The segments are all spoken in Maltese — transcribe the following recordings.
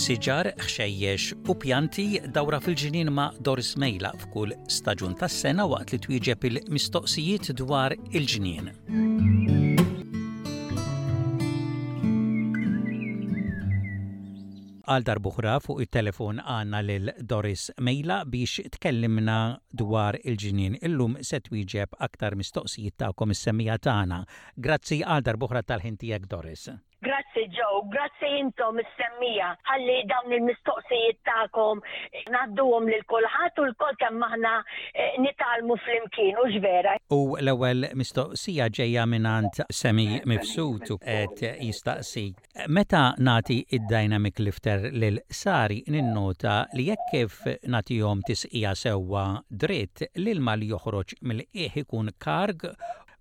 Siġar, ħxejjex u pjanti dawra fil-ġnien ma' Doris Mejla f'kull staġun tas-sena waqt li twieġeb il-mistoqsijiet dwar il-ġnien. Għal darb'oħra fuq it-telefon għandna lil Doris Mejla biex tkellimna dwar il-ġnien. Illum se twieġeb aktar mistoqsijiet tagħkom is-semmiegħa tagħna. Grazzi għal darb'oħra tal-ħin tiegħek Doris. Grazzi Joe, grazzi intom is-semmiegħa ħalli dawn il-mistoqsijiet tagħkom ngħadduhom lil kulħadd u lkoll kemm aħna eh, nitgħallmu flimkien hux vera. U l-ewwel mistoqsija ġejja mingħand Semi Mifsud u qed jistaqsi Meta nagħti id-dynamic lifter lil Sari ninnota li hekk kif nagħtihom tisqija sewwa dritt l-ilma li joħroġ mill-qiegħ ikun karg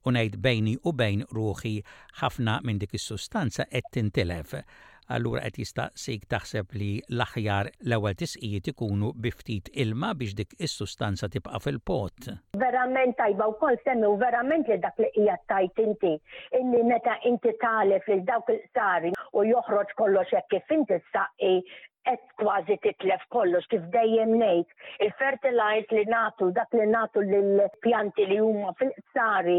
u ngħid bejni u bejn ruħi ħafna minn dik is-sustanza qed tintilef. Allura qed jistaqsik taħseb li l-aħjar l-ewwel tisqijiet ikunu bi ftit ilma biex dik is-sustanza tibqa' fil-pot? Verament tajba wkoll Sammy u verament li dak li qiegħed tgħid inti illi meta inti tagħlef lil dawk il-qsari u joħroġ kollox hekk kif inti ssaqqi qed kważi titlef kollox kif dejjem ngħid. Il-fertilize li nagħtu dak li nagħtu lill-pjanti li huma fil-qsari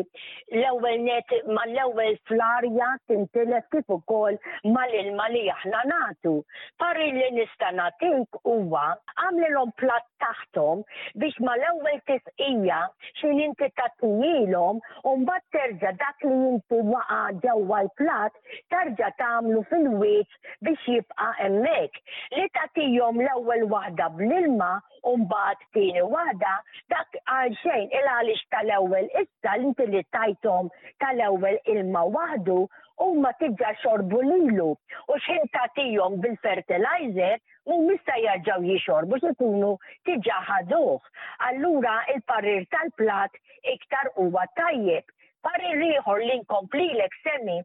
l-ewwel net mal-ewwel fl-arja tintilef kif ukoll mal-ilma li aħna nagħtu. Parir li nista' nagħtik huwa għamlilhom platt taħthom biex mal-ewwel tisqija x'in inti tagħtihilhom u mbagħad terġa' dak li inti waqa' ġewwa l-platt terġa' tagħmlu fil-wiċċ biex jibqa' hemmhekk. Li tagħtihom l-ewwel waħda bl-ilma u mbagħad tieni waħda, dak għal xejn il għaliex tal-ewwel issa inti li tajthom tal-ewwel ilma waħdu huma diġà xorbu lilu u x'ħin tagħtihom bil-fertilizer mhumiex se jerġgħu jixorbu x'ikunu diġà ħaduh. Allura il-parir tal-platt iktar huwa tajjeb. Parir ieħor li nkomplilek Sammy,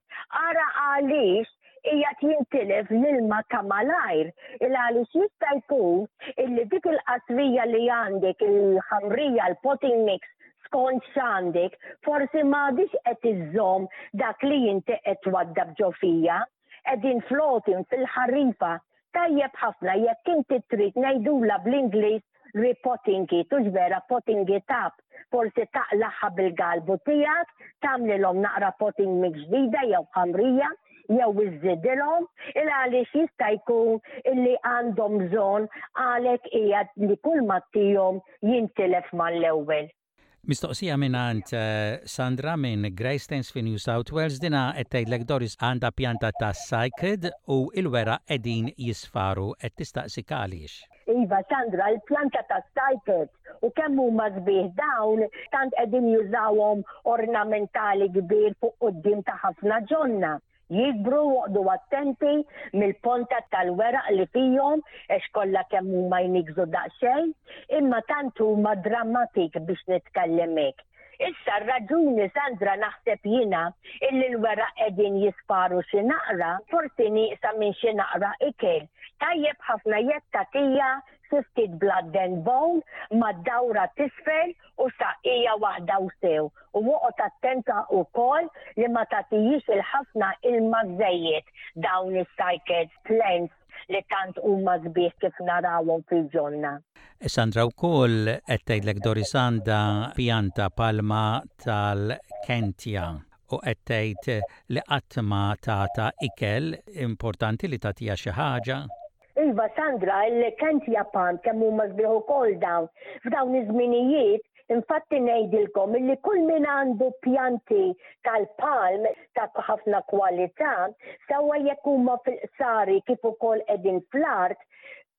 ara għaliex qiegħed jintilef l-ilma ta' malajr, il għaliex jista' jkun illi dik il-qasrija li għandek, il-ħamrija, l-potting mix, skont x'għandek, forsi m'għadhiex qed iżżomm dak li inti qed twaddab ġo fija. Qegħdin floating fil-ħarifa. Tajjeb ħafna jekk inti trid ngħidulha bl-Ingliż repotting it, hux vera potting it up, forsi taqlagħha bil-galbu tiegħek, tagħmlilhom naqra potting mix ġdida jew ħamrija, jew iżżidilhom, il għaliex jista' jkun illi għandhom bżonn għalhekk qiegħed li kull ma ttihom jintilef mal-ewwel. Mistoqsija mingħand Sandra minn Greystanes fi New South Wales, dinha qed tgħidlek Doris għandha pjanta ta' cycad u l-weraq qegħdin jisfaru, qed tistaqsik għaliex. Iva Sandra, il-pjanta ta' cycad u kemm huma sbieħ dawn tant qegħdin jużawhom ornamentali kbir fuq quddiem ta' ħafna ġonna. Jikbru u oqgħdu attenti mill-ponta tal-weraq li fihom għax kollha kemm huma jniggżu daqsxejn, imma tant huma dramatik biex nitkellem hekk. Issa r-raġuni Sandra naħseb jiena illi l-weraq qegħdin jisfaru xi naqra, forsi nieqsa minn xi naqra ikel. Tajjeb ħafna jekk tagħtiha xi ftit blood and bone mad-dawra t'isfel u saqqija waħda u sew u oqgħod attenta wkoll li ma tagħtihiex il-ħafna ilma żejjed dawn is-cycads plants li tant huma sbieħ kif narawhom fil-ġonna. Sandra wkoll qed tgħidlek Doris għandha pjanta palma tal-Kentia u qed tgħid li qatt ma tagħta ikel, importanti li tagħtiha xi ħaġa? Iva Sandra, il-Kentia Palm kemm huma sbieħ ukoll dawn. F'dawn iż-żminijiet, infatti ngħidilkom illi kull min għandu pjanti tal-palm ta' ħafna kwalità, sewwa jekk huma fil-qsari kif ukoll qegħdin fl-art,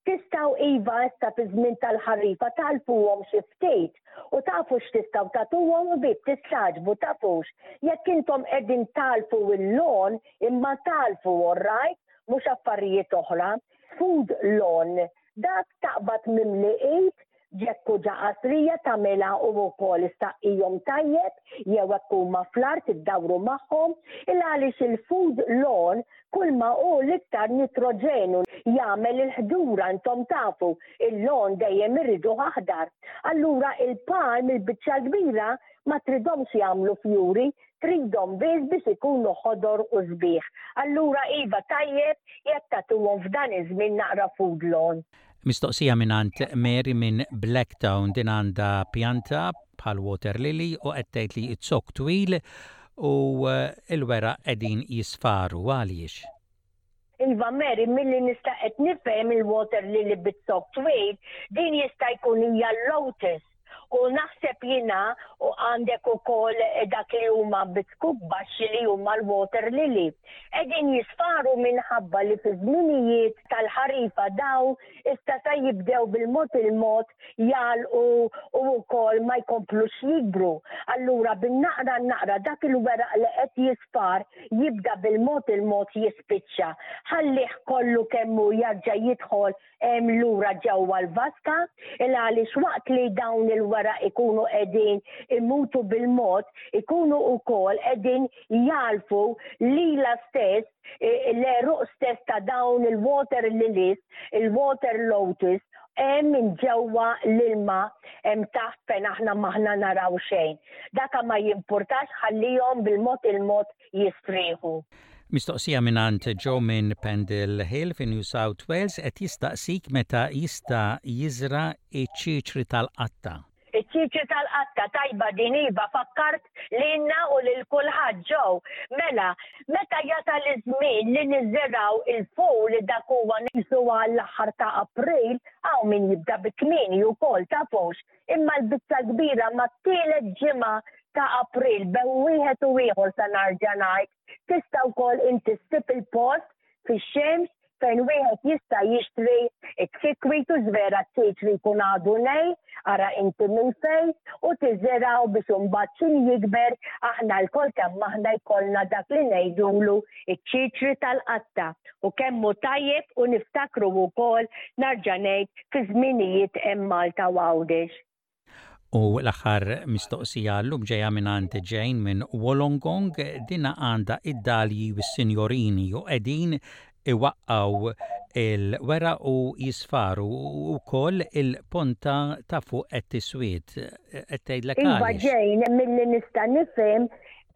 tistgħu iva issa fi żmien tal-ħarifa tagħlfuhom xi ftit u tafu x'tistgħu tagħtuhom u bib tistagħġbu tafux. Jekk intom qegħdin tagħlfu il-lawn imma tagħlfu all right, mhux affarijiet oħra. Food lawn, dak taqbad mimli id, ġekk hu ġa qasrija tagħmilha u wkoll issaqqihom tajjeb jew hekk huma fl-art iddawru magħhom, il għaliex il-food lawn. Kull ma hu l-iktar nitroġenu jagħmel il-ħdura intom tafu il-lawn dejjem iriduh aħdar. Allura il-palm il-biċċa l-kbira ma tridhomx jagħmlu fjuri, tridhom biss biex ikunu ħodor u sbieħ. Allura iva tajjeb jekk tagħtuhom f'dan iż-żmien naqra food lawn. Mistoqsija mingħand Mary minn Blacktown, din għandha pjanta bħal water lily u qed tgħid li z-zokk twil u l-weraq qegħdin jisfaru, għaliex? Iva Mary, milli nista' qed nifhem il-water lily biz-zokk twil, din jista' jkun hija l-lotus. U naħseb jiena u għandek ukoll dak li huma biskuk baxxi li huma l-water lily. Qegħdin jisfaru minħabba li fi żminijiet tal-ħarifa daw issa sa jibdew bil-mod il-mod jagħlqu u wkoll ma jkomplux jikbru. Allura bin-naqra n-naqra dak il-weraq li qed jisfar jibda bil-mod il-mod jispiċċa. Ħallih kollu kemm hu jarġa' jidħol hemm lura ġewwa l-vaska, il għaliex waqt li dawn il-weraq ikunu qegħdin imutu bil-mod, ikunu wkoll qegħdin jagħlfu lilha stess, l-għeruq stess ta' dawn il-water lilies, il-water lotus, hemm minn ġewwa l-ilma hemm taħt fejn aħna m'aħna naraw xejn. Daka ma jimpurtax ħallihom bil-mod il-mod jistrieħu. Mistoqsija mingħand Joe minn Pendle Hill fi New South Wales qed jistaqsik meta jista' jiżra' iċ-ċiċri tal-qatta. Iċ-ċiċri tal-qatta, tajba din iva, fakkart lilna u lil kulħadd Joe. Mela, meta jasal iż-żmien li niżirgħu il-ful dak huwa qisu għall-aħħar ta' April, hawn min jibda bi kmieni wkoll tafux, imma l-biċċa l-kbira mat-tielet ġimgħa ta' April bejn wieħed u ieħor sa narġa' ngħid, tista' wkoll inti ssib il-post fix-xemx fejn wieħed jista' jixtri ċ-ċikkwit u żvera ċ-ċiċri jkun għadu nej, ara inti minn fejn, u tiżirgħu biex imbagħad x'in jikber aħna lkoll kemm aħna jkollna dak li ngħidulu ċ-ċiċri tal-qatta u kemm hu tajjeb u niftakru wkoll narġa' ngħid fi żminijiet hemm Malta u Għawdex. U l-aħħar mistoqsija llum ġejja mingħand Jane minn Wollongong, dinha għandha id-dalji u s-sinjorini u qegħdin iwaqqgħu il-weraq u jisfaru u wkoll il-ponta ta' fuq qed tiswied. Qed tgħidlek Iva għaliex. Jane, milli nista' nifhem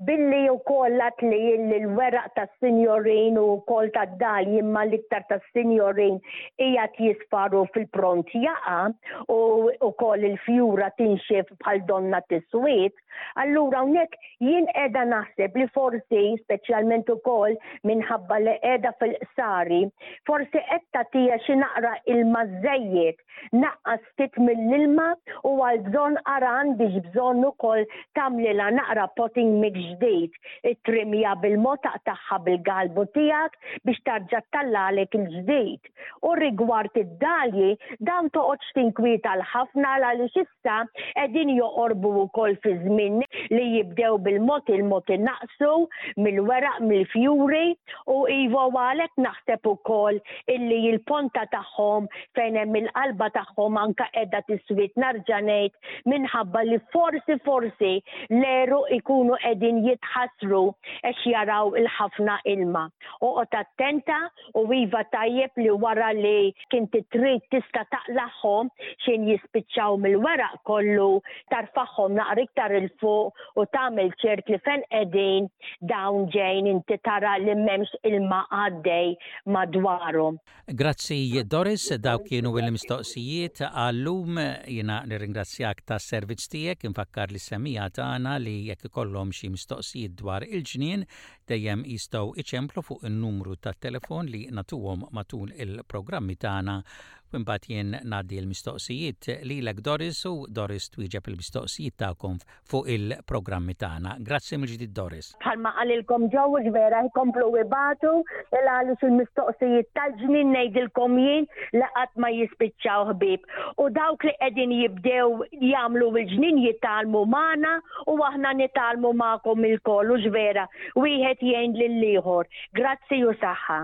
Billi wkoll għad li illi l-weraq tas-sinjorin u wkoll tad-dalji imma l-iktar tas-sinjorin qiegħed jisfar u fil-pront jaqa' u wkoll il-fjura tinxef bħal donnha tiswied, allura hawnhekk jien qiegħda naħseb li forsi, speċjalment ukoll minħabba li qiegħda fil-qsari, forsi qed tagħtiha xi naqra ilma żejjed. Naqqas ftit mill-ilma u għal bżonn ara għandix bżonn ukoll tagħmlilha naqra potting mix ġdid. Ittrimja bil-mod taqtagħha bil-galbu tiegħek biex tarġa' ttallagħlek il-ġdid. U rigward id-dalji, dawn toqgħodx tinkwieta l-ħafna għaliex issa qegħdin joqorbu wkoll fi żmien li jibdew bil-mod il-mod inaqqsu mill-weraq mill-fjuri u iva u għalhekk naħseb ukoll illi l-ponta tagħhom fejn hemm il-qalba tagħhom anke qiegħda tiswied narġa' ngħid minħabba li forsi forsi l-għeruq ikunu qegħdin jitħassru għax jaraw il-ħafna ilma. Oqgħod attenta u iva tajjeb li wara li kinti trid tista' taqlagħhom x'in jispiċċaw mill-weraq kollu tarfagħhom naqra iktar 'il fuq u tagħmel ċert li fejn qegħdin dawn ġejn inti tara li m'hemmx ilma għaddej madwarhom. Grazzi Doris, dawk kienu l-mistoqsijiet għal-lum. Jiena nirringrazzjak tas-servizz tiegħek, infakkar lis-semmiegħa tagħna li jekk ikollhom xi mistoqsijiet dwar il-ġnien dejjem jistgħu iċemplu fuq in-numru tat-telefon li nagħtuhom matul il-programmi tagħna u imbagħad jien ngħaddi l-mistoqsijiet lilek Doris u Doris twieġeb il-mistoqsijiet tagħkom fuq il-programmi tagħna. Grazzi mill-ġdid Doris. Bħalma qalilkom Joe hux vera jkomplu ibatu il għaliex il-mistoqsijiet tal-ġnien ngħidilkom jien li qatt ma jispiċċaw ħbieb. U dawk li qegħdin jibdew jagħmlu l-ġnien jitgħallmu magħna u aħna nitgħallmu magħkom ilkoll hux vera wieħed jgħin lill-ieħor. Grazzi u saħħa.